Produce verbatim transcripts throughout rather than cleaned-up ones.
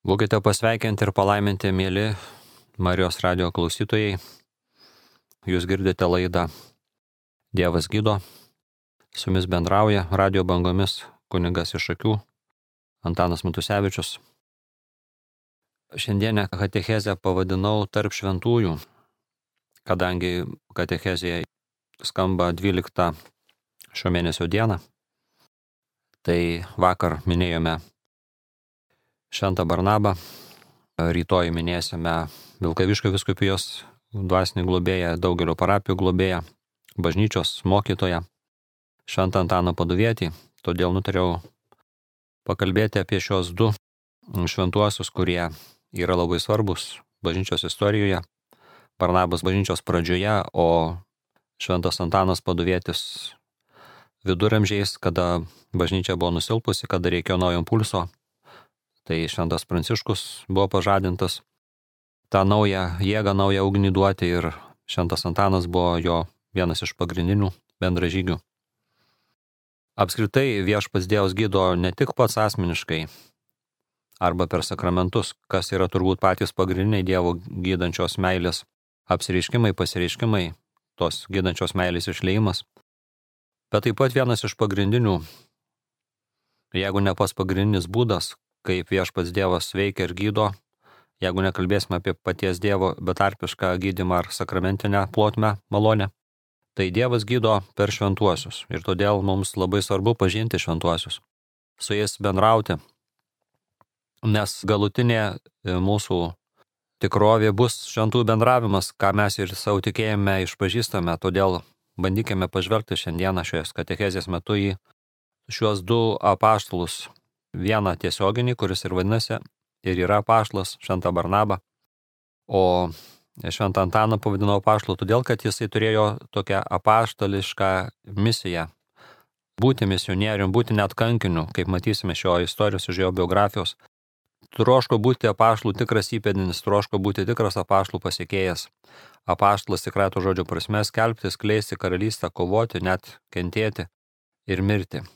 Būkite pasveikinti ir palaiminti, mėly Marijos radijo klausytojai. Jūs girdite laidą Dievas gydo. Su jumis bendrauja radijo bangomis kunigas iš Šakių Antanas Matusevičius. Šiandienę katechezę pavadinau tarp šventųjų, kadangi katechezėje skamba dvyliktą šio mėnesio dieną. Tai vakar minėjome Šventą Barnabą, rytoj minėsime Vilkaviškio vyskupijos dvasinį globėją, daugelio parapijų globėją, bažnyčios mokytoją, Šventą Antaną Paduvietį. Todėl nutariau pakalbėti apie šios du šventuosius, kurie yra labai svarbus bažnyčios istorijoje. Barnabas bažnyčios pradžioje, o Šventas Antanas Paduvietis viduramžiais, kada bažnyčia buvo nusilpusi, kada reikėjo naujo impulso. Tai Šventas Pranciškus buvo pažadintas tą naują jėgą, naują ugnį duoti ir Šventas Antanas buvo jo vienas iš pagrindinių bendražygių. Apskritai viešpats Dievas gydo ne tik pats asmeniškai arba per sakramentus, kas yra turbūt patys pagrindiniai Dievo gydančios meilės apsireiškimai, pasireiškimai, tos gydančios meilės išliejimas, bet taip pat vienas iš pagrindinių, jeigu ne pats pagrindinis būdas, kaip viešpats Dievas veikia ir gydo, jeigu nekalbėsime apie paties Dievo betarpišką gydymą ar sakramentinę plotmę, malonę, tai Dievas gydo per šventuosius ir todėl mums labai svarbu pažinti šventuosius, su jais bendrauti, nes galutinė mūsų tikrovė bus šventų bendravimas, ką mes ir savo tikėjime išpažįstame, todėl bandykime pažvelgti šiandieną šios katechezės metu į šiuos du apaštalus. Vieną tiesioginį, kuris ir vadinasi ir yra apaštalas, Šventą Barnabą, o Šventą Antaną pavadino apaštalu todėl, kad jisai turėjo tokią apaštališką misiją būti misionierium, būti net kankiniu, kaip matysime šio istorijos iš jo biografijos. Troško būti apaštalų tikras įpėdinis, troško būti tikras apaštalų pasiekėjas. Apaštalas tikrąja to žodžio prasme skelbti, skleisti karalystę, kovoti, net kentėti ir mirti.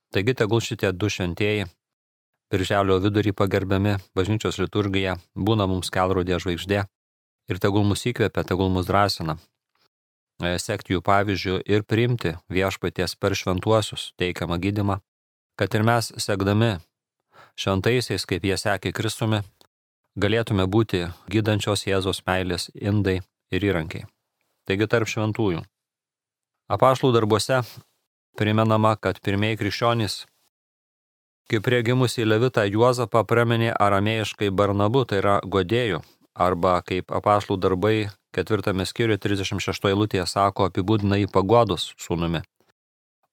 Taigi tegul šitie du šventieji birželio vidurį pagerbiami bažnyčios liturgija būna mums kelrodė žvaigždė ir tegul mus įkvepia, tegul mus drąsina sekti jų pavyzdžių ir priimti viešpaties per šventuosius teikiamą gydymą, kad ir mes sekdami šventaisiais, kaip jie sekė Kristumi, galėtume būti gydančios Jėzaus meilės indai ir įrankiai. Taigi tarp šventųjų. Apaštalų darbuose primenama, kad pirmieji krikščionys, kaip prie gimusį Levitą Juozapą praminė aramėjiškai Barnabu, tai yra godėjų, arba kaip apaštalų darbai ketvirtame skyriuje trisdešimt šeštoje eilutėje sako, apibūdina jį paguodos sūnumi.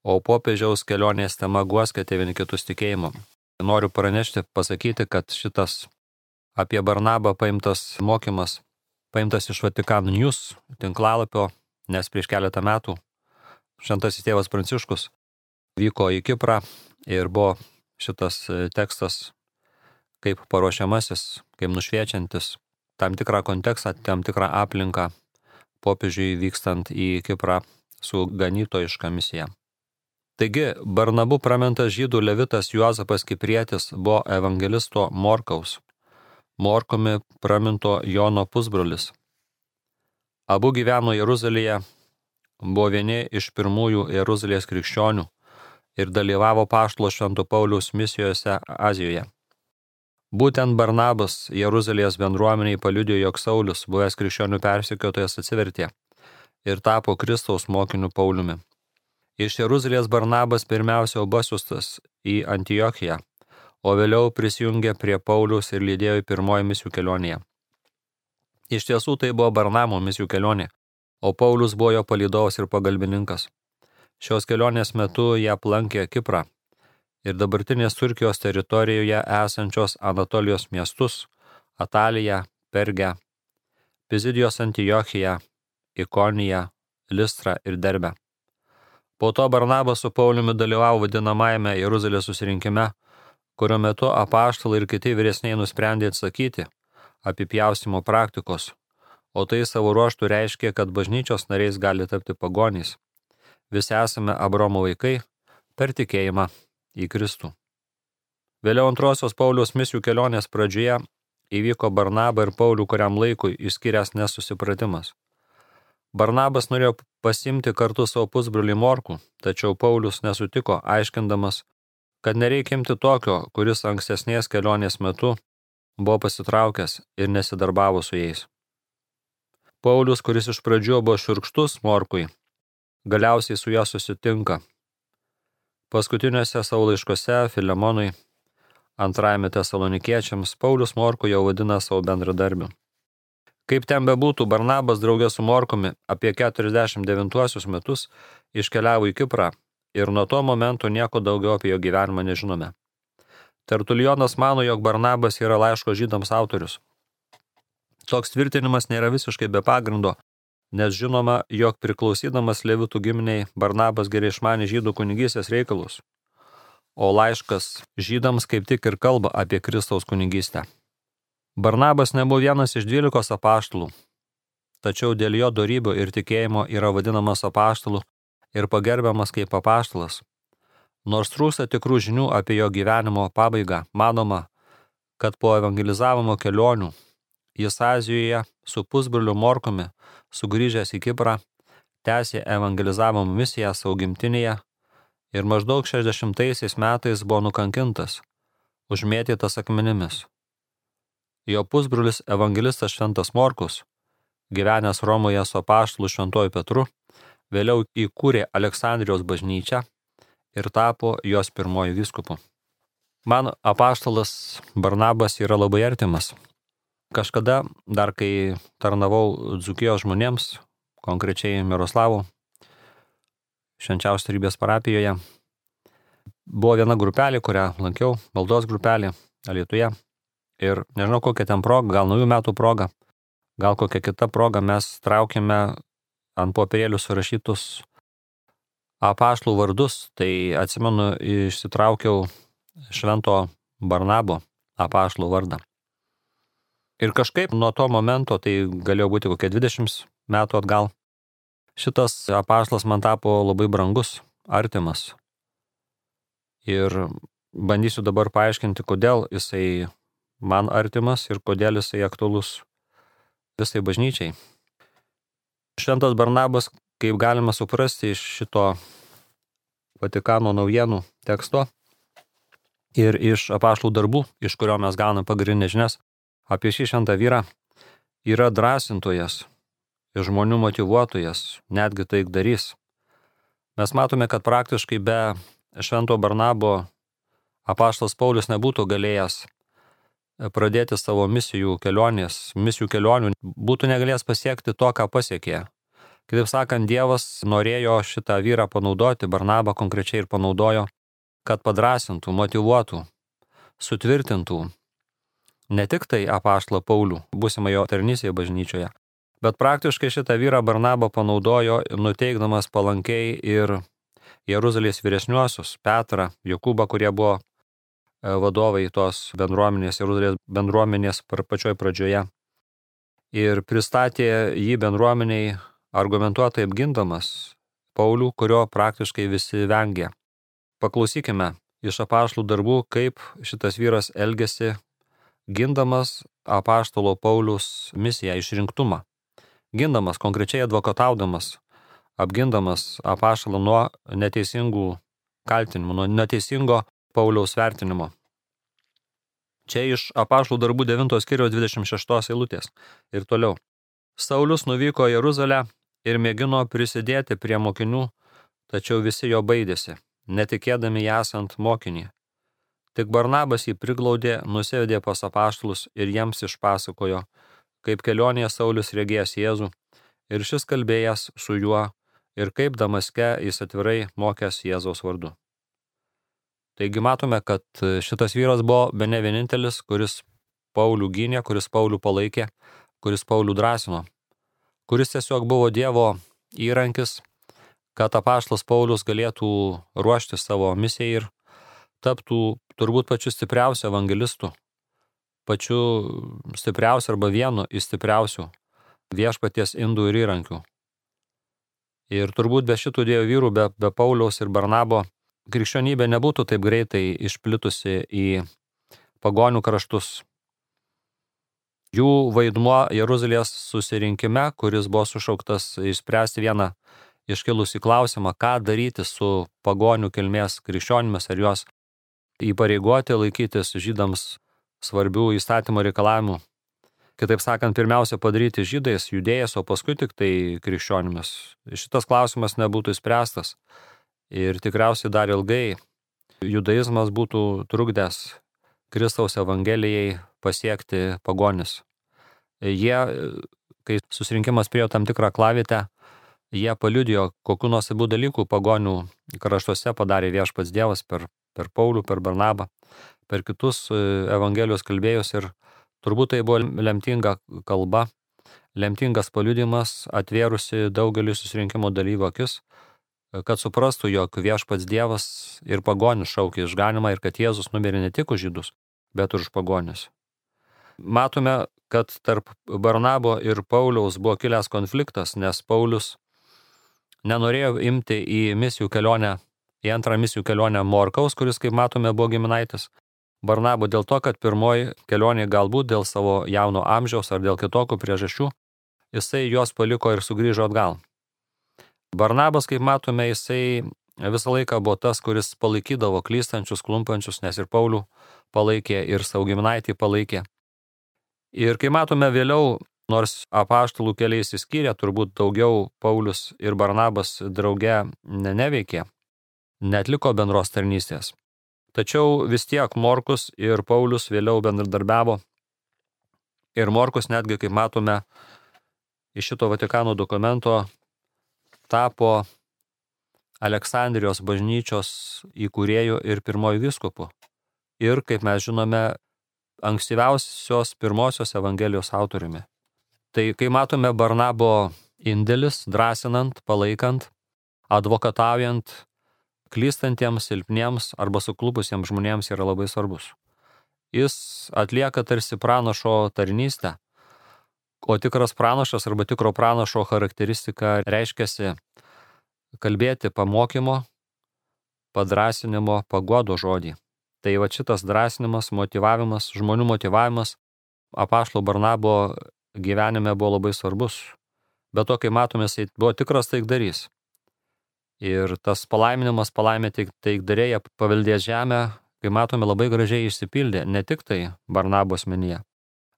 O popiežiaus kelionės tema guoskite vieni kitus tikėjimu. Noriu pranešti, pasakyti, kad šitas apie Barnabą paimtas mokymas, paimtas iš Vatikan News tinklalapio, nes prieš keletą metų Šventasis tėvas Pranciškus vyko į Kiprą ir buvo šitas tekstas kaip paruošiamasis, kaip nušviečiantis tam tikrą kontekstą, tam tikrą aplinką popiežiui vykstant į Kiprą su ganytojiška misija. Taigi, Barnabu pramintas žydų levitas Juozapas Kiprietis buvo evangelisto Morkaus, Morkumi praminto Jono pusbrolis. Abu gyveno Jeruzalėje, buvo vieni iš pirmųjų Jeruzalės krikščionių ir dalyvavo apaštalo Švento Pauliaus misijose Azijoje. Būtent Barnabas Jeruzalės bendruomeniai paliudijo, jog Saulius, buvęs krikščionių persekiotojas, atsivertė ir tapo Kristaus mokiniu Pauliumi. Iš Jeruzalės Barnabas pirmiausia buvo pasiųstas į Antiochiją, o vėliau prisijungė prie Pauliaus ir lydėjo į pirmoji misijų kelionėje. Iš tiesų tai buvo Barnabo misijų kelionė, o Paulius buvo jo palydovas ir pagalbininkas. Šios kelionės metu jie aplankė Kiprą ir dabartinės Turkijos teritorijoje esančios Anatolijos miestus – Ataliją, Pergę, Pizidijos Antiochiją, Ikoniją, Listrą ir Derbę. Po to Barnabas su Pauliumi dalyvavo vadinamajame Jeruzalės susirinkime, kurio metu apaštalai ir kiti vyresniai nusprendė atsakyti apipjaustimo praktikos, o tai savo ruožtų reiškia, kad bažnyčios nariais gali tapti pagonys. Visi esame Abraomo vaikai per tikėjimą į Kristų. Vėliau antrosios Pauliaus misijų kelionės pradžioje įvyko Barnabą ir Paulių kuriam laikui išskyręs nesusipratimas. Barnabas norėjo pasimti kartu savo pusbrolį Morkų, tačiau Paulius nesutiko, aiškindamas, kad nereikia imti tokio, kuris ankstesnės kelionės metu buvo pasitraukęs ir nesidarbavo su jais. Paulius, kuris iš pradžių buvo šiurkštus Morkui, galiausiai su juo susitinka. Paskutiniuose savo laiškose Filemonui, antrajame Tesalonikiečiams, Paulius Morkų jau vadina savo bendradarbiu. Kaip ten bebūtų, Barnabas draugė su Morkumi apie keturiasdešimt devintuosius metus iškeliavo į Kiprą ir nuo to momento nieko daugiau apie jo gyvenimą nežinome. Tertulijonas mano, jog Barnabas yra laiško žydams autorius. Toks tvirtinimas nėra visiškai be pagrindo, nes žinoma, jog priklausydamas Levitų giminiai Barnabas gerai išmanė žydų kunigystės reikalus, o laiškas žydams kaip tik ir kalba apie Kristaus kunigystę. Barnabas nebuvo vienas iš dvylikos apaštalų, tačiau dėl jo dorybių ir tikėjimo yra vadinamas apaštalu ir pagerbiamas kaip apaštalas. Nors trūksta tikrų žinių apie jo gyvenimo pabaigą, manoma, kad po evangelizavimo kelionių jis Azijoje su pusbroliu Morkumi, sugrįžęs į Kiprą, tęsė evangelizavimo misiją savo gimtinėje ir maždaug šešiasdešimtaisiais metais buvo nukankintas, užmėtytas akmenimis. Jo pusbrolis evangelistas Šventas Morkus, gyvenęs Romoje su apaštalu Šventuoju Petru, vėliau įkūrė Aleksandrijos bažnyčią ir tapo jos pirmoju vyskupu. Man apaštalas Barnabas yra labai artimas. Kažkada, dar kai tarnavau Dzūkijos žmonėms, konkrečiai Miroslavų, Švenčiausios Trejybės parapijoje, buvo viena grupelė, kurią lankiau, maldos grupelė Alytuje. Ir nežinau, kokia ten proga, gal naujų metų proga, gal kokia kita proga, mes traukėme ant popierėlių surašytus apaštalų vardus. Tai atsimenu, išsitraukiau Švento Barnabo apaštalų vardą. Ir kažkaip nuo to momento, tai galėjo būti kokie dvidešimt metų atgal, šitas apaštalas man tapo labai brangus, artimas. Ir bandysiu dabar paaiškinti, kodėl jisai man artimas ir kodėl jisai aktualus visai bažnyčiai. Šventas Barnabas, kaip galima suprasti iš šito Vatikano naujienų teksto ir iš apaštalų darbų, iš kurio mes gauname pagrindinės žinias apie šį šventą vyrą, yra drąsintojas, žmonių motyvuotojas, netgi taikdarys. Mes matome, kad praktiškai be Švento Barnabo apaštalas Paulius nebūtų galėjęs pradėti savo misijų kelionės, misijų kelionių, būtų negalėjęs pasiekti to, ką pasiekė. Kitaip sakant, Dievas norėjo šitą vyrą panaudoti, Barnabą konkrečiai ir panaudojo, kad padrasintų, motyvuotų, sutvirtintų ne tik tai apaštalą Paulių, būsimą jo tarnystėje bažnyčioje, bet praktiškai šitą vyrą Barnabą panaudojo, nuteikdamas palankiai ir Jeruzalės vyresniuosius, Petrą, Jokūbą, kurie buvo vadovai tos bendruomenės, Jeruzalės bendruomenės pačioj pradžioje. Ir pristatė jį bendruomeniai argumentuotai apgindamas Paulių, kurio praktiškai visi vengė. Paklausykime iš apaštalų darbų, kaip šitas vyras elgėsi, gindamas apaštalo Pauliaus misiją, išrinktumą. Gindamas, konkrečiai advokataudamas, apgindamas apaštalą nuo neteisingų kaltinimų, nuo neteisingo Pauliaus vertinimo. Čia iš apaštalų darbų devintos skyriaus dvidešimt šeštos eilutės. Ir toliau. Saulius nuvyko į Jeruzalę ir mėgino prisidėti prie mokinių, tačiau visi jo baidėsi, netikėdami jį esant mokinį. Tik Barnabas jį priglaudė, nusivedė pas apaštalus ir jiems išpasakojo, kaip kelionėje Saulius regėjęs Jėzų ir šis kalbėjęs su juo ir kaip Damaske jis atvirai mokęs Jėzaus vardu. Taigi matome, kad šitas vyras buvo bene vienintelis, kuris Paulių gynė, kuris Paulių palaikė, kuris Paulių drąsino, kuris tiesiog buvo Dievo įrankis, kad apaštalas Paulius galėtų ruošti savo misijai ir taptų turbūt pačiu stipriausiu evangelistu, pačiu stipriausiu arba vienu iš stipriausių viešpaties indų ir įrankių. Ir turbūt be šitų dviejų vyrų, be, be Pauliaus ir Barnabo, krikščionybė nebūtų taip greitai išplitusi į pagonių kraštus. Jų vaidmuo Jeruzalės susirinkime, kuris buvo sušauktas išspręsti vieną iškilusį klausimą, ką daryti su pagonių kilmės krikščionimis, ar juos įpareigoti laikytis žydams svarbių įstatymo reikalavimų. Kitaip sakant, pirmiausia padaryti žydais, judėjais, o paskui tik tai krikščionimis. Šitas klausimas nebūtų išspręstas ir tikriausiai dar ilgai judaizmas būtų trukdęs Kristaus evangelijai pasiekti pagonis. Jie, kai susirinkimas priejo tam tikrą klavietę, jie paliudijo, kokių nuostabių dalykų pagonių kraštuose padarė viešpats Dievas per, per Paulių, per Barnabą, per kitus evangelijos kalbėjus ir turbūt tai buvo lemtinga kalba, lemtingas paliudimas, atvėrusi daugelį susirinkimo dalyvių akis, kad suprastų, jog viešpats Dievas ir pagonis šaukė išganimą ir kad Jėzus numirė ne tik už žydus, bet ir už pagonis. Matome, kad tarp Barnabo ir Pauliaus buvo kilęs konfliktas, nes Paulius nenorėjo imti į misijų kelionę, į antrą misijų kelionę Morkaus, kuris, kaip matome, buvo giminaitis Barnabo dėl to, kad pirmoji kelionė galbūt dėl savo jauno amžiaus ar dėl kitokių priežasčių, jisai juos paliko ir sugrįžo atgal. Barnabas, kaip matome, jisai visą laiką buvo tas, kuris palaikydavo klystančius, klumpančius, nes ir Paulių palaikė, ir savo giminaitį palaikė. Ir kai matome vėliau, nors apaštalų keliai išsiskyrė, turbūt daugiau Paulius ir Barnabas drauge neveikė, neatliko bendros tarnystės. Tačiau vis tiek Morkus ir Paulius vėliau bendradarbiavo. Ir Morkus netgi, kaip matome, iš šito Vatikano dokumento tapo Aleksandrijos bažnyčios įkūrėjų ir pirmojų vyskupu. Ir, kaip mes žinome, ankstyviausios pirmosios evangelijos autoriumi. Tai, kai matome Barnabo indėlis, drąsinant, palaikant, advokataujant, klystantiems, silpniems arba suklupusiems žmonėms yra labai svarbus. Jis atlieka tarsi pranašo tarnystę, o tikras pranašas arba tikro pranašo charakteristika reiškiasi kalbėti pamokymo, padrąsinimo, paguodo žodį. Tai va šitas drąsinimas, motyvavimas, žmonių motyvavimas apaštalo Barnabo gyvenime buvo labai svarbus. Bet to, kai matome, jis buvo tikras taikdarys. Ir tas palaiminimas palaimė taikdarėje paveldės žemę, kai matome, labai gražiai išsipildė ne tik tai Barnabo asmenyje,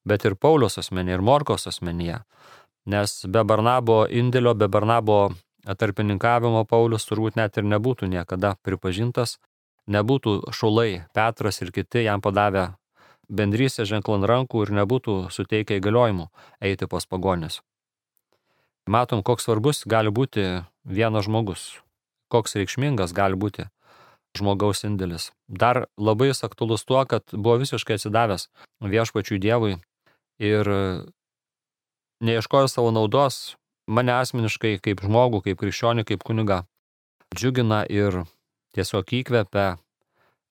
bet ir Pauliaus asmenyje, ir Morkaus asmenyje. Nes be Barnabo indėlio, be Barnabo tarpininkavimo Paulius turbūt net ir nebūtų niekada pripažintas, nebūtų šaulai Petras ir kiti jam padavę bendrystę ženklą ant rankų ir nebūtų suteikę įgaliojimų eiti pas pagonis. Matom, koks svarbus gali būti vienas žmogus, koks reikšmingas gali būti žmogaus indėlis. Dar labai aktualus tuo, kad buvo visiškai atsidavęs viešpačiui Dievui ir neieškojo savo naudos, mane asmeniškai kaip žmogų, kaip krikščionį, kaip kunigą džiugina ir tiesiog įkvepia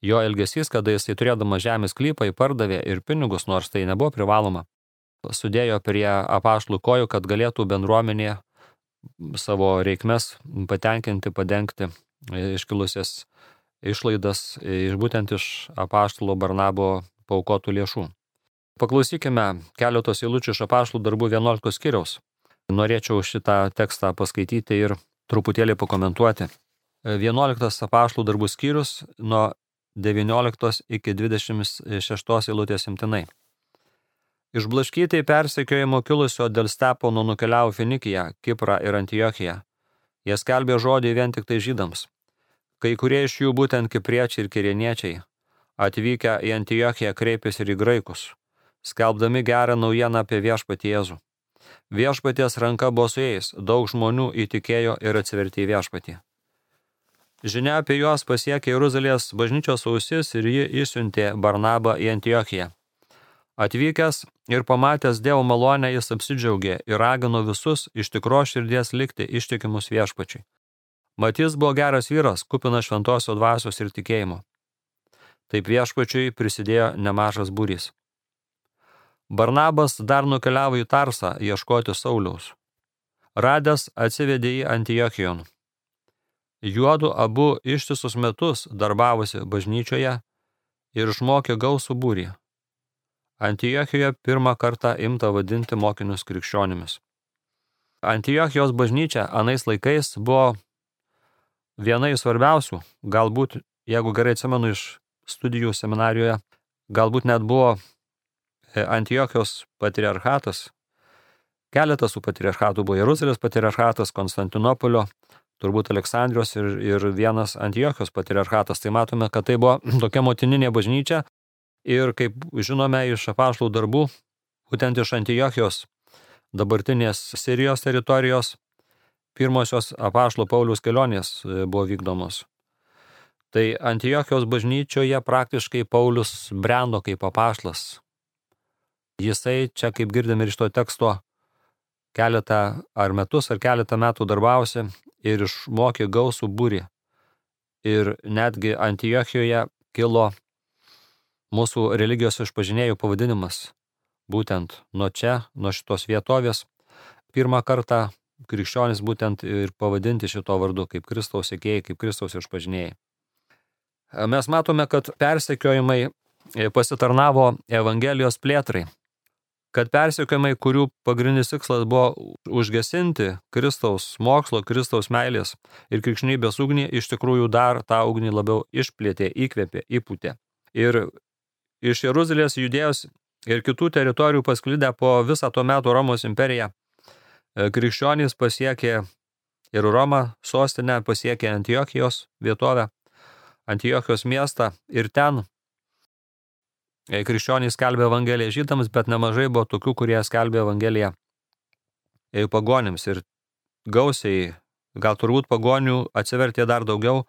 jo elgesys, kada jisai turėdamas žemės sklypą įpardavė ir pinigus, nors tai nebuvo privaloma, sudėjo prie apaštalų kojų, kad galėtų bendruomenė savo reikmes patenkinti, padengti iškilusias išlaidas iš būtent iš apaštalo Barnabo paaukotų lėšų. Paklausykime keletos eilučių iš apaštalų darbų vienuoliktos skyriaus. Norėčiau šitą tekstą paskaityti ir truputėlį pakomentuoti. vienuoliktas apaštalų darbų skyrius nuo devynioliktos iki dvidešimt šeštos eilutės imtinai. Išblaškytai persekiojimo kilusio dėl Stepono nukeliavo Finikiją, Kiprą ir Antiochiją. Jie skelbė žodį vien tik tai žydams. Kai kurie iš jų, būtent kipriečiai ir kirėniečiai, atvykę į Antiochiją kreipėsi ir į graikus, skelbdami gerą naujieną apie viešpatį Jėzų. Viešpaties ranka buvo su jais, daug žmonių įtikėjo ir atsivertė į viešpatį. Žinia apie juos pasiekė Jeruzalės bažnyčios ausis ir ji išsiuntė Barnabą į Antiochiją. Atvykęs ir pamatęs Dievo malonę, jis apsidžiaugė ir ragino visus iš tikros širdies likti ištikimus viešpačiui. Mat jis buvo geras vyras, kupinas šventosios dvasios ir tikėjimo. Taip viešpačiui prisidėjo nemažas būrys. Barnabas dar nukeliavo į Tarsą ieškoti Sauliaus. Radęs atsivedė į Antiochijon. Juodu abu ištisus metus darbavosi bažnyčioje ir išmokė gausų būrį. Antiochijoje pirmą kartą imta vadinti mokinius krikščionimis. Antiochijos bažnyčia anais laikais buvo viena iš svarbiausių, galbūt, jeigu gerai atsimenu iš studijų seminarijoje, galbūt net buvo Antiochijos patriarchatas. Keletas tų patriarchatų buvo Jeruzalės patriarchatas, Konstantinopolio, turbūt Aleksandrijos ir, ir vienas Antiochijos patriarchatas. Tai matome, kad tai buvo tokia motininė bažnyčia ir kaip žinome iš apaštalų darbų, būtent iš Antiochijos dabartinės Sirijos teritorijos pirmosios apaštalo Pauliaus kelionės buvo vykdomos. Tai Antiochijos bažnyčioje praktiškai Paulius brendo kaip apaštalas. Jisai čia, kaip girdime ir iš to teksto, keletą ar metus ar keletą metų darbavosi ir išmokė gausų būrį. Ir netgi Antiochijoje kilo mūsų religijos išpažinėjų pavadinimas. Būtent nuo čia, nuo šitos vietovės, pirmą kartą krikščionys būtent ir pavadinti šito vardu kaip Kristaus sekėjai, kaip Kristaus išpažinėjai. Mes matome, kad persekiojimai pasitarnavo Evangelijos plėtrai. Kad persekiojimai, kurių pagrindinis tikslas buvo užgesinti Kristaus mokslo, Kristaus meilės ir krikščionybės ugnį, iš tikrųjų dar tą ugnį labiau išplėtė, įkvėpė, įpūtė. Ir iš Jeruzalės, Judėjos ir kitų teritorijų pasklidę po visą to metų Romos imperiją, krikščionys pasiekė ir Romą, sostinę, pasiekė Antiochijos vietovę, Antiochijos miestą ir ten krikščionys skelbė Evangeliją žydams, bet nemažai buvo tokių, kurie skelbė Evangeliją pagonims ir gausiai, gal turbūt pagonių atsivertė dar daugiau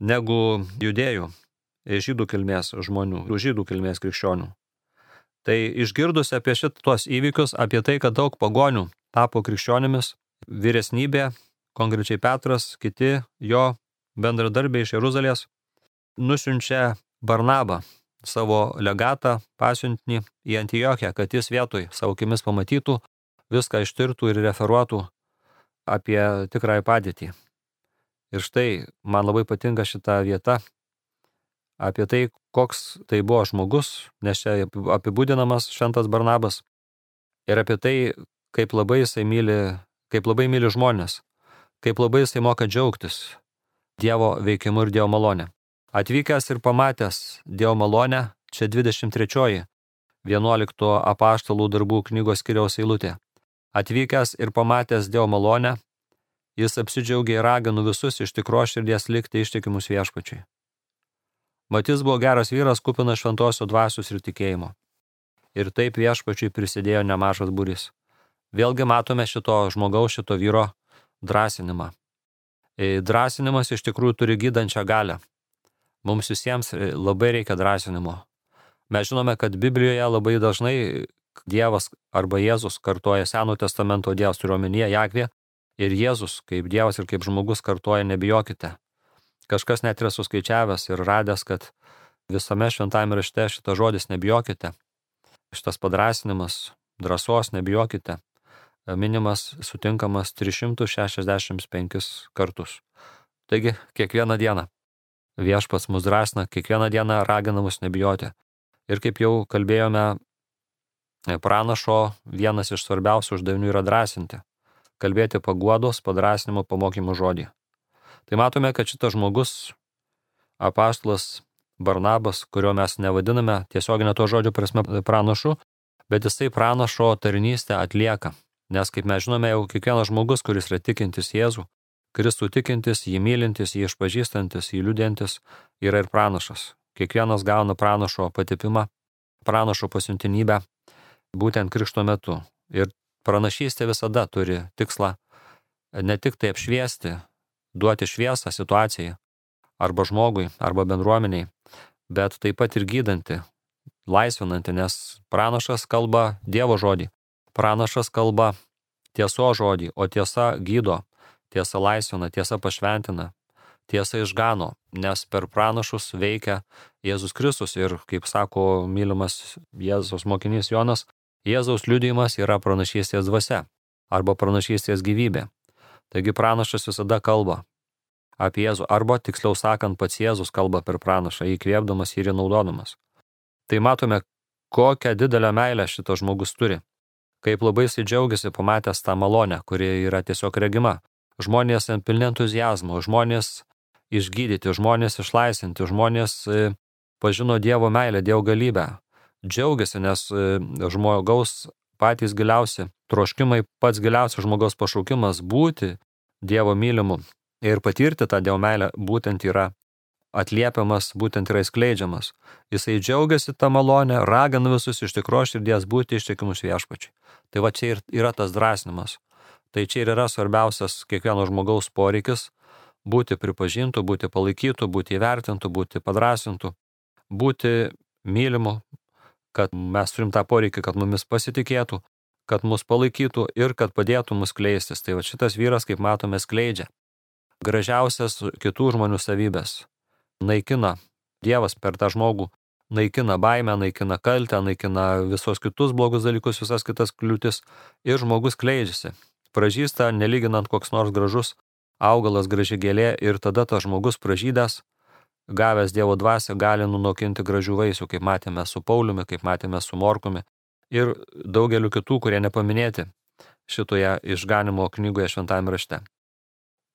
negu judėjų, žydų kilmės žmonių, žydų kilmės krikščionių. Tai išgirdus apie šitos įvykius, apie tai, kad daug pagonių tapo krikščionimis, vyresnybė, konkrečiai Petras, kiti jo bendradarbiai iš Jeruzalės, nusiunčia Barnabą, savo legatą, pasiuntinį į Antiochiją, kad jis vietoj savo akimis pamatytų, viską ištirtų ir referuotų apie tikrąją padėtį. Ir štai man labai patinka šita vieta apie tai, koks tai buvo žmogus, nes čia apibūdinamas šventas Barnabas, ir apie tai, kaip labai jisai myli, kaip labai myli žmonės, kaip labai jisai moka džiaugtis Dievo veikimu ir Dievo malonė. Atvykęs ir pamatęs Dievo malonę, čia dvidešimt trečioji vienuolikto apaštalų darbų knygos skyriaus eilutė. Atvykęs ir pamatęs Dievo malonę, jis apsidžiaugė ir ragino visus iš tikros širdies likti ištikimus viešpačiui. Mat jis buvo geras vyras, kupinas šventosios dvasios ir tikėjimo. Ir taip viešpačiui prisidėjo nemažas būrys. Vėlgi matome šito žmogaus, šito vyro drąsinimą. Drąsinimas iš tikrųjų turi gydančią galią. Mums visiems labai reikia drąsinimo. Mes žinome, kad Biblijoje labai dažnai Dievas arba Jėzus kartoja Seno testamento Dievas, turiu omenyje Jahvė, ir Jėzus kaip Dievas ir kaip žmogus kartoja nebijokite. Kažkas net yra suskaičiavęs ir radęs, kad visame šventajame rašte šitas žodis nebijokite, šitas padrąsinimas, drąsos nebijokite, minimas sutinkamas tris šimtus šešiasdešimt penkis kartus. Taigi, kiekvieną dieną viešpats mus drąsina, kiekvieną dieną ragina mus nebijoti. Ir kaip jau kalbėjome, pranašo vienas iš svarbiausių uždavinių yra drąsinti, kalbėti paguodos, padrąsinimo, pamokymų žodį. Tai matome, kad šitas žmogus, apaštalas Barnabas, kurio mes nevadiname tiesioginę to žodžio prasme pranašu, bet jisai pranašo tarnystę atlieka. Nes kaip mes žinome, jau kiekvienas žmogus, kuris yra tikintis Jėzų, Kristų tikintis, jį mylintis, jį išpažįstantis, jį liudiantis, yra ir pranašas. Kiekvienas gauna pranašo patipimą, pranašo pasiuntinybę, būtent krikšto metu. Ir pranašystė visada turi tikslą ne tik tai apšviesti, duoti šviesą situacijai, arba žmogui, arba bendruomeniai, bet taip pat ir gydanti, laisvinanti, nes pranašas kalba Dievo žodį, pranašas kalba tieso žodį, o tiesa gydo, tiesa laisvina, tiesa pašventina, tiesa išgano, nes per pranašus veikia Jėzus Kristus ir, kaip sako mylimas Jėzaus mokinys Jonas, Jėzaus liudijimas yra pranašystės dvasia arba pranašystės gyvybė. Taigi pranašas visada kalba. apie Jėzų, arba tiksliau sakant, pats Jėzus kalba per pranašą, įkvėpdamas ir įnaudodamas. Tai matome, kokią didelę meilę šitas žmogus turi, kaip labai jis džiaugiasi pamatęs tą malonę, kuri yra tiesiog regima. Žmonės pilni entuzijazmo, žmonės išgydyti, žmonės išlaisinti, žmonės pažino Dievo meilę, Dievo galybę. Džiaugiasi, nes žmogaus patys giliausi troškimai, pats giliausias žmogaus pašaukimas būti Dievo mylimu ir patirti tą Dievo meilę būtent yra atliepiamas, būtent yra įskleidžiamas. Jisai džiaugiasi tą malonę, ragina visus iš tikros širdies būti ištikimus viešpačiui. Tai va čia ir yra tas drąsinimas. Tai čia ir yra svarbiausias kiekvieno žmogaus poreikis būti pripažintų, būti palaikytų, būti įvertintų, būti padrasintų, būti mylimu, kad mes turim tą poreikį, kad mumis pasitikėtų, kad mus palaikytų ir kad padėtų mus kleistis. Tai va šitas vyras, kaip matome, skleidžia gražiausias kitų žmonių savybės. Naikina Dievas per tą žmogų, naikina baimę, naikina kaltę, naikina visos kitus blogus dalykus, visas kitas kliūtis ir žmogus kleidžiasi. Pražysta, nelyginant koks nors gražus augalas, graži gėlė ir tada tas žmogus pražydęs, gavęs Dievo dvasią, gali nunokinti gražių vaisių, kaip matėme su Pauliumi, kaip matėme su Morkumi ir daugeliu kitų, kurie nepaminėti šitoje išganimo knygoje šventajame rašte.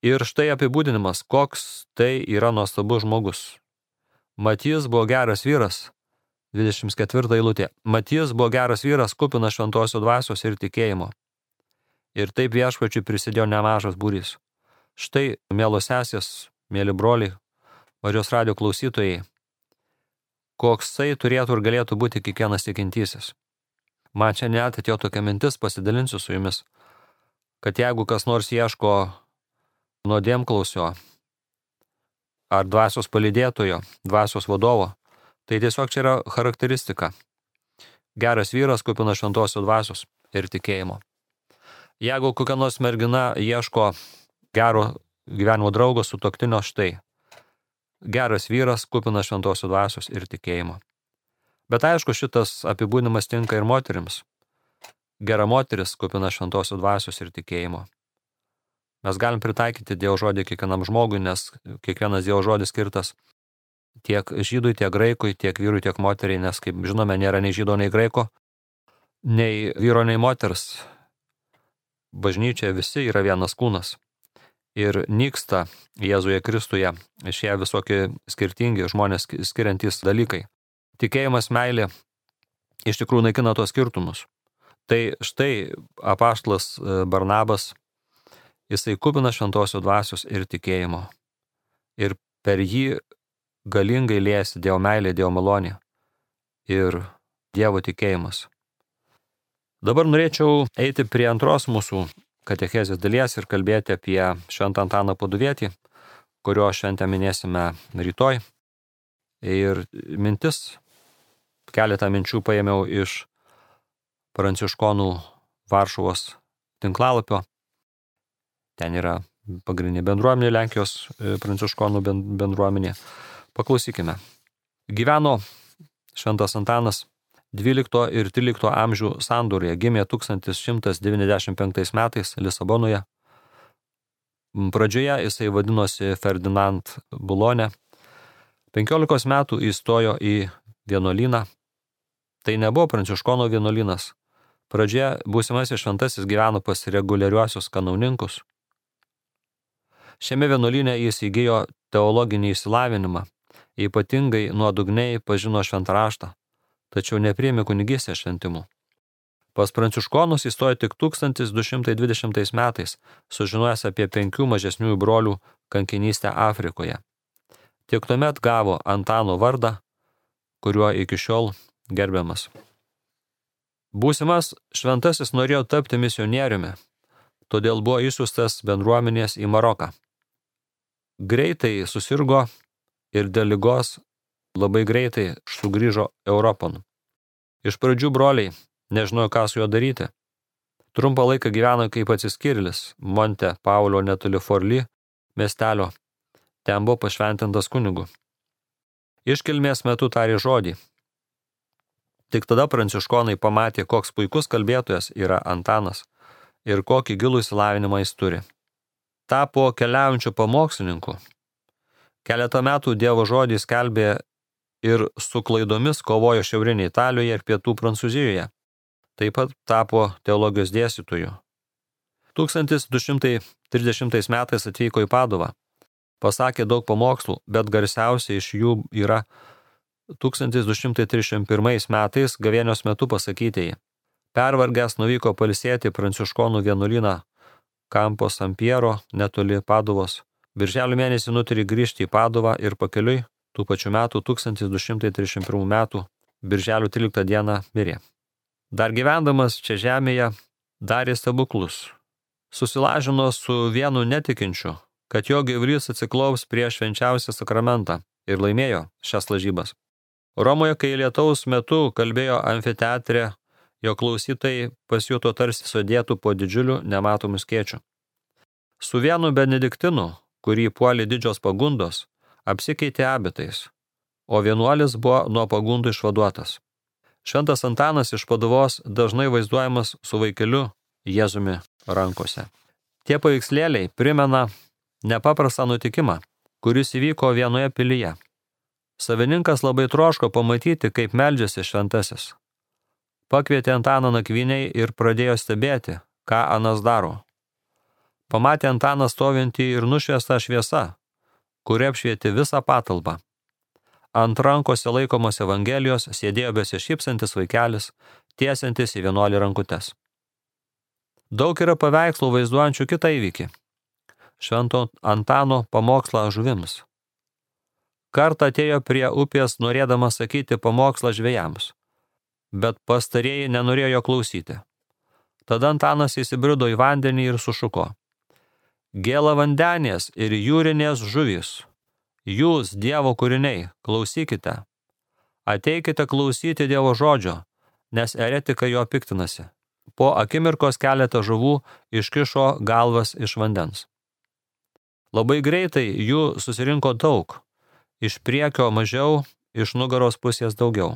Ir štai apibūdinimas, koks tai yra nuostabus žmogus. Matijas buvo geras vyras, dvidešimt ketvirta eilutė. Matijas buvo geras vyras, kupinas šventosios dvasios ir tikėjimo. Ir taip viešpačiui prisidėjo nemažas būrys. Štai, mielos sesės, mėly broliai, Marijos radijo klausytojai, koksai turėtų ir galėtų būti kiekvienas tikintysis. Man čia net atėjo tokia mintis, pasidalinsiu su jumis, kad jeigu kas nors ieško nuodėmklausio ar dvasios palydėtojo, dvasios vadovo, tai tiesiog čia yra charakteristika. Geras vyras, kupinas šventosios dvasios ir tikėjimo. Jeigu kokia nors mergina ieško gero gyvenimo draugo, sutuoktinio, štai. Geras vyras, kupinas šventosios dvasios ir tikėjimo. Bet aišku, šitas apibūdinimas tinka ir moterims. Gera moteris, kupinas šventosios dvasios ir tikėjimo. Mes galim pritaikyti Dievo žodį kiekvienam žmogui, nes kiekvienas Dievo žodis skirtas tiek žydui, tiek graikui, tiek vyrui, tiek moteriai, nes, kaip žinome, nėra nei žydo, nei graiko, nei vyro, nei moters. Bažnyčioje visi yra vienas kūnas. Ir nyksta Jėzuje Kristuje šie visokie skirtingi žmonės skiriantys dalykai. Tikėjimas, meilė iš tikrųjų naikina tos skirtumus. Tai štai apaštalas Barnabas, jisai kupinas šventosios dvasios ir tikėjimo. Ir per jį galingai liejasi Dievo meilė, Dievo malonė ir Dievo tikėjimas. Dabar norėčiau eiti prie antros mūsų katechezės dalies ir kalbėti apie Šventą Antaną Paduvietį, kurio šventę minėsime rytoj. Ir mintis, keletą minčių paėmiau iš pranciškonų Varšuvos tinklalapio. Ten yra pagrindinė bendruomenė, Lenkijos pranciškonų bendruomenė. Paklausykime. Gyveno Šventas Antanas dvylikto ir trylikto amžių sandūroje, gimė tūkstantis šimtas devyniasdešimt penktais metais Lisabonoje. Pradžioje jisai vadinosi Ferdinand Bulone. penkiolikos metų įstojo į vienuolyną. Tai nebuvo pranciškonų vienuolynas. Pradžioje būsimasis šventasis gyveno pas reguliariuosius kanauninkus. Šiame vienuolyne jis įgijo teologinį išsilavinimą, ypatingai nuodugniai pažino šventą raštą, tačiau nepriėmė kunigystės šventimų. Pas pranciškonus įstojo tik tūkstantis du šimtai dvidešimtais metais, sužinojęs apie penkių mažesniųjų brolių kankinystę Afrikoje. Tik tuomet gavo Antano vardą, kuriuo iki šiol gerbiamas. Būsimas šventasis norėjo tapti misionieriumi, todėl buvo išsiųstas bendruomenės į Maroką. Greitai susirgo ir dėl ligos labai greitai sugrįžo Europon. Iš pradžių broliai nežinojo, ką su juo daryti. Trumpą laiką gyveno kaip atsiskyrėlis Monte Paulio netoli Forli miestelio. Ten buvo pašventintas kunigu. Iškilmės metu tarė žodį. Tik tada pranciškonai pamatė, koks puikus kalbėtojas yra Antanas ir kokį gilų išsilavinimą jis turi. tapo keliaujančiu pamokslininku. Keletą metų Dievo žodį skelbė ir su klaidomis kovojo šiaurinėje Italijoje ir pietų Prancūzijoje. Taip pat tapo teologijos dėstytoju. tūkstantis du šimtai trisdešimtais metais atvyko į Paduvą. Pasakė daug pamokslų, bet garsiausia iš jų yra tūkstantis du šimtai trisdešimt pirmais metais gavėnios metu pasakytieji. Pervargęs nuvyko pailsėti pranciškonų vienuolyną Campo San Piero netoli Paduvos. Birželio mėnesį nutarė grįžti į Paduvą ir pakeliui tų pačių metų tūkstantis du šimtai trisdešimt pirmų metų birželio tryliktą dieną mirė. Dar gyvendamas čia žemėje darė stebuklus. Susilažino su vienu netikinčiu, kad jo gyvulys atsiklaus prieš švenčiausią sakramentą ir laimėjo šias lažybas. Romoje, kai lietaus metu kalbėjo amfiteatre, jo klausytojai pasijuto tarsi sudėtų po didžiuliu nematomu skėčiu. Su vienu benediktinu, kurį puolė didžios pagundos, apsikeitė abitais, o vienuolis buvo nuo pagundų išvaduotas. Šventas Antanas iš Paduvos dažnai vaizduojamas su vaikeliu Jėzumi rankose. Tie paveikslėliai primena nepaprastą nutikimą, kuris įvyko vienoje pilyje. Savininkas labai troško pamatyti, kaip meldžiasi šventasis. Pakvietė Antaną nakvyniai ir pradėjo stebėti, ką anas daro. Pamatė Antaną stovintį ir nušviestą šviesą, kuri apšvietė visą patalpą. Ant rankose laikomos Evangelijos sėdėjo besišypsantis vaikelis, tiesiantis į vienuolį rankutes. Daug yra paveikslų vaizduojančių kitą įvykį. Švento Antano pamokslą žuvims. Kartą atėjo prie upės norėdamas sakyti pamokslą žvejams, bet pastarieji nenorėjo jo klausyti. Tada Antanas įsibrido į vandenį ir sušuko: Gėla vandenės ir jūrinės žuvys, jūs, Dievo kūriniai, klausykite. Ateikite klausyti Dievo žodžio, nes eretikai jo piktinasi. Po akimirkos keletą žuvų iškišo galvas iš vandens. Labai greitai jų susirinko daug, iš priekio mažiau, iš nugaros pusės daugiau.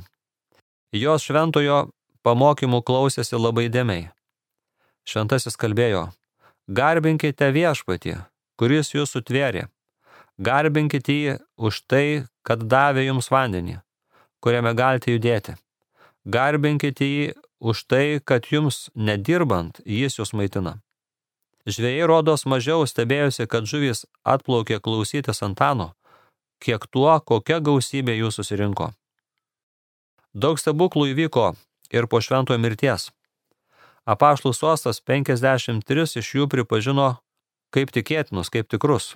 Jos šventojo pamokymų klausėsi labai dėmiai. Šventasis kalbėjo: Garbinkite viešpatį, kuris jūs sutvėrė. Garbinkite jį už tai, kad davė jums vandenį, kuriame galite judėti. Garbinkite jį už tai, kad jums nedirbant jis jūs maitina. Žvejai rodos mažiau stebėjosi, kad žuvys atplaukė klausytis Antano, kiek tuo, kokia gausybė jų susirinko. Daug stebuklų įvyko ir po šventojo mirties. Apaštalų sostas penkiasdešimt tris iš jų pripažino kaip tikėtinus, kaip tikrus.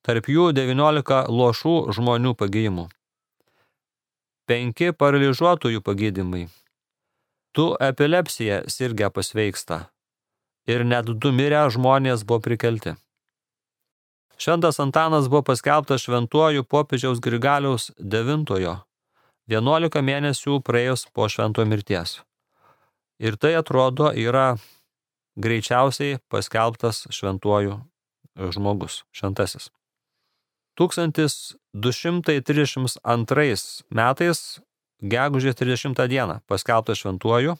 Tarp jų devyniolika luošų žmonių pagijimų. Penki paralyžiuotųjų pagydymai. Du epilepsija sirgę pasveiksta. Ir net du mirę žmonės buvo prikelti. Šventas Antanas buvo paskelbtas šventuoju popiežiaus Grigaliaus devintojo, vienuolika mėnesių praėjus po šventojo mirties. Ir tai atrodo yra greičiausiai paskelbtas šventuoju žmogus, šventasis. tūkstantis du šimtai trisdešimt antrais metais gegužės trisdešimtą dieną paskelbtas šventuoju,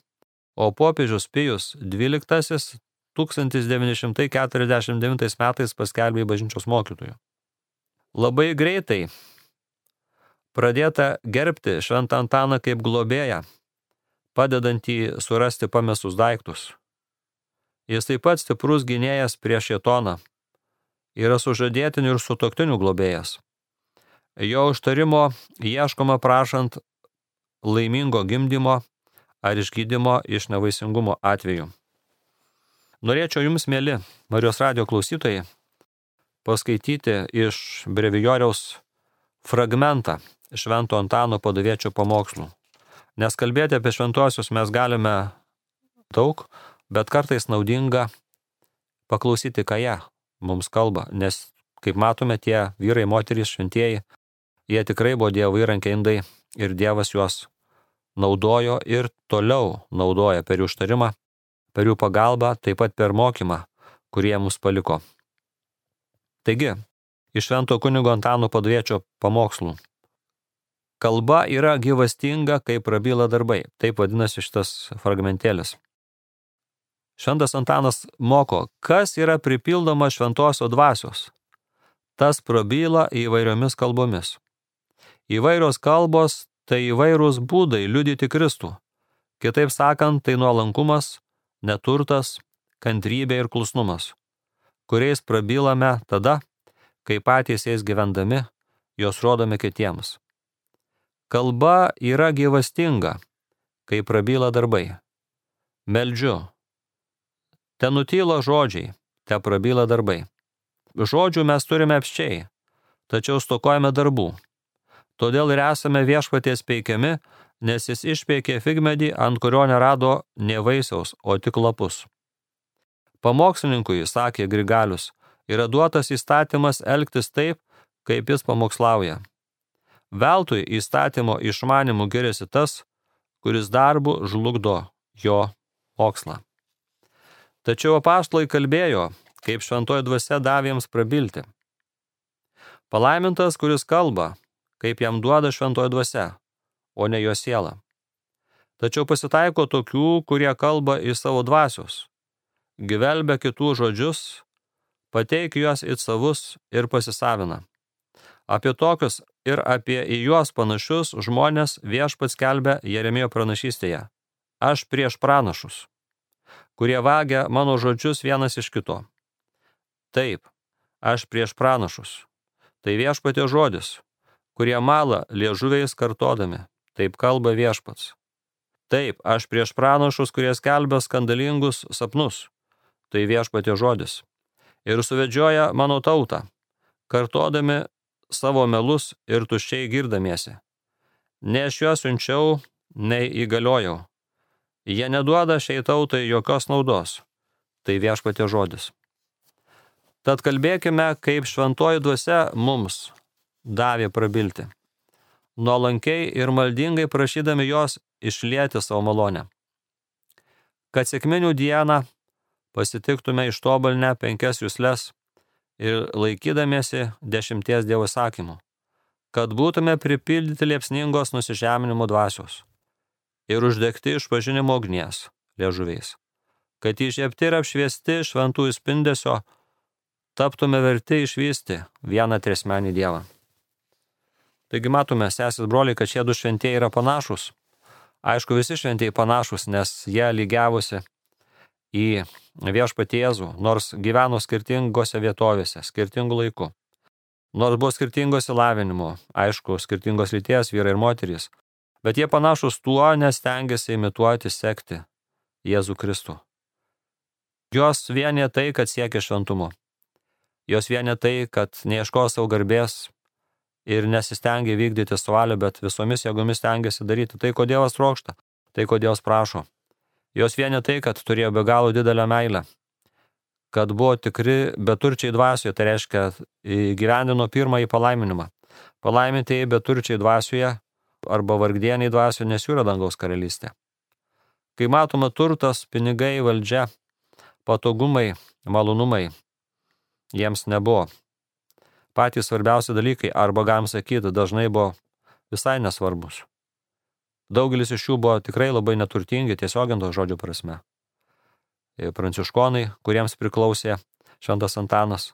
o popiežius Pijus dvyliktasis tūkstantis devyni šimtai keturiasdešimt devintais metais paskelbė bažnyčios mokytoju. Labai greitai pradėta gerbti Šventą Antaną kaip globėją, padedantį surasti pamestus daiktus. Jis taip pat stiprus gynėjas prieš šėtoną, yra sužadėtinių ir sutuoktinių globėjas. Jo užtarimo ieškoma prašant laimingo gimdymo ar išgydymo iš nevaisingumo atveju. Norėčiau jums, mėly Marijos radijo klausytojai, paskaityti iš brevijoriaus fragmentą Švento Antano paduviečio pamokslų. Nes kalbėti apie šventuosius mes galime daug, bet kartais naudinga paklausyti, ką jie mums kalba. Nes, kaip matome, tie vyrai, moterys, šventieji, jie tikrai buvo Dievo įrankiai indai ir Dievas juos naudojo ir toliau naudoja per jų užtarimą, per jų pagalbą, taip pat per mokymą, kurie mus paliko. Taigi, iš švento kunigo Antano paduviečio pamokslų. Kalba yra gyvastinga, kaip prabyla darbai. Taip vadinasi šitas fragmentėlis. Šventas Antanas moko, kas yra pripildoma šventosios dvasios. Tas prabyla įvairiomis kalbomis. Įvairios kalbos tai įvairūs būdai liudyti Kristų. Kitaip sakant, tai nuolankumas, neturtas, kantrybė ir klusnumas, kuriais prabylame tada, kai patys jais gyvendami, jos rodome kitiems. Kalba yra gyvastinga, kai prabyla darbai. Meldžiu. Te nutyla žodžiai, te prabyla darbai. Žodžių mes turime apsčiai, tačiau stokojame darbų. Todėl ir esame viešpaties peikiami, nes jis išpeikė figmedį, ant kurio nerado nė vaisiaus, o tik lapus. Pamokslininkui, sakė Grigalius, yra duotas įstatymas elgtis taip, kaip jis pamokslauja. Veltui įstatymo išmanimu giriasi tas, kuris darbu žlugdo jo mokslą. Tačiau apaštalai kalbėjo, kaip šventoji dvasia davė jiems prabilti. Palaimintas, kuris kalba, kaip jam duoda šventoji dvasia, o ne jo siela. Tačiau pasitaiko tokių, kurie kalba iš savo dvasios, gvelbia kitų žodžius, pateik juos it savus ir pasisavina. Apie tokius ir apie į juos panašius žmonės viešpats skelbia Jeremijo pranašystėje. Aš prieš pranašus, kurie vagia mano žodžius vienas iš kito. Taip, aš prieš pranašus. Tai viešpatės žodis, kurie mala liežuviais kartodami. Taip kalba viešpats. Taip, aš prieš pranašus, kurie skelbia skandalingus sapnus. Tai viešpatės žodis. Ir suvedžioja mano tautą, kartodami savo melus ir tuščiai girdamiesi. Ne aš juos siunčiau, nei įgaliojau. Jie neduoda šiai tautai jokios naudos. Tai viešpatės žodis. Tad kalbėkime, kaip šventoji dvasia mums davė prabilti, nuolankiai ir maldingai prašydami jos išlieti savo malonę. Kad sekminių dieną pasitiktume ištobulinę penkias jusles ir laikydamiesi dešimties Dievo įsakymų, kad būtume pripildyti liepsningos nusižeminimo dvasios ir uždegti išpažinimo ugnies liežuviais, kad įžiebti ir apšviesti šventųjų spindesio taptume verti išvysti vieną triasmenį Dievą. Taigi matome, sesis broliai, kad šie du šventieji yra panašus. Aišku, visi šventieji panašus, nes jie lygiavosi į viešpatį Jėzų, nors gyveno skirtingose vietovėse, skirtingų laikų. Nors buvo skirtingos įlavinimo, aišku, skirtingos lyties vyrai ir moterys, bet jie panašus tuo, nes stengiasi imituoti, sekti Jėzų Kristų. Jos vienė tai, kad siekia šventumo. Jos vienė tai, kad neieško savo garbės ir nesistengia vykdyti savo valią, bet visomis jėgomis stengiasi daryti tai, ko Dievas trokšta, tai, ko Dievas prašo. Jos vienė tai, kad turėjo be galo didelę meilę, kad buvo tikri beturčiai dvasioje, tai reiškia įgyvendino pirmąjį palaiminimą. Palaimintieji beturčiai dvasioje arba vargdieniai dvasioje, nes jų yra dangaus karalystė. Kai matoma turtas, pinigai, valdžia, patogumai, malonumai, jiems nebuvo. Patys svarbiausi dalykai, arba galim sakyti, dažnai buvo visai nesvarbus. Daugelis iš jų buvo tikrai labai neturtingi, tiesioginto žodžio prasme. Pranciškonai, kuriems priklausė šventas Antanas.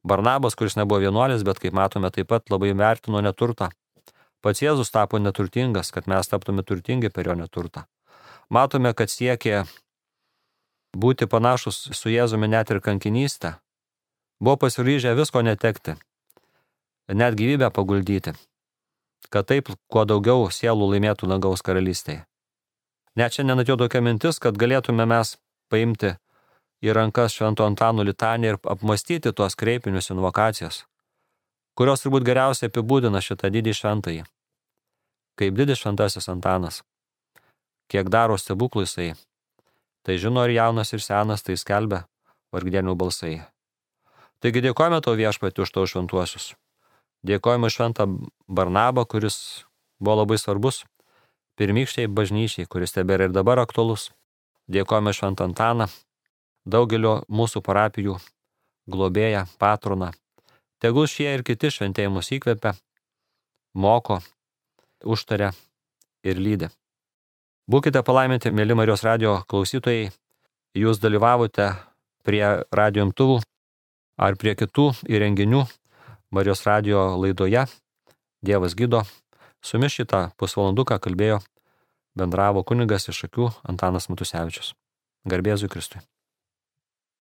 Barnabas, kuris nebuvo vienuolis, bet kaip matome, taip pat labai vertino neturtą. Pats Jėzus tapo neturtingas, kad mes taptume turtingi per jo neturtą. Matome, kad siekė būti panašus su Jėzumi net ir kankinystę. Buvo pasiryžę visko netekti, net gyvybę paguldyti, kad taip kuo daugiau sielų laimėtų dangaus karalystėje. Net šiandien atėjo tokia mintis, kad galėtume mes paimti į rankas švento Antano litaniją ir apmastyti tuos kreipinius invokacijas, kurios turbūt geriausiai apibūdina šitą didį šventąjį. Kaip didis šventasis Antanas, kiek daro stebuklų jisai, tai žino ir jaunas ir senas, tai skelbia vargdienių balsai. Taigi dėkojame tau viešpatį už tavo šventuosius. Dėkojame šventą Barnabą, kuris buvo labai svarbus, pirmykščiai bažnyčiai, kuris tebėra ir dabar aktualus. Dėkojame šventą Antaną, daugelio mūsų parapijų globėją, patroną. Tegul šie ir kiti šventieji mus įkvepia, moko, užtaria ir lydi. Būkite palaiminti, mėly Marijos radijo klausytojai, jūs dalyvavote prie radijo imtuvų ar prie kitų įrenginių Marijos radijo laidoje Dievas gydo. Su jumis šitą pusvalanduką kalbėjo, bendravo kunigas iš Šakių Antanas Matusevičius. Garbė Jėzui Kristui.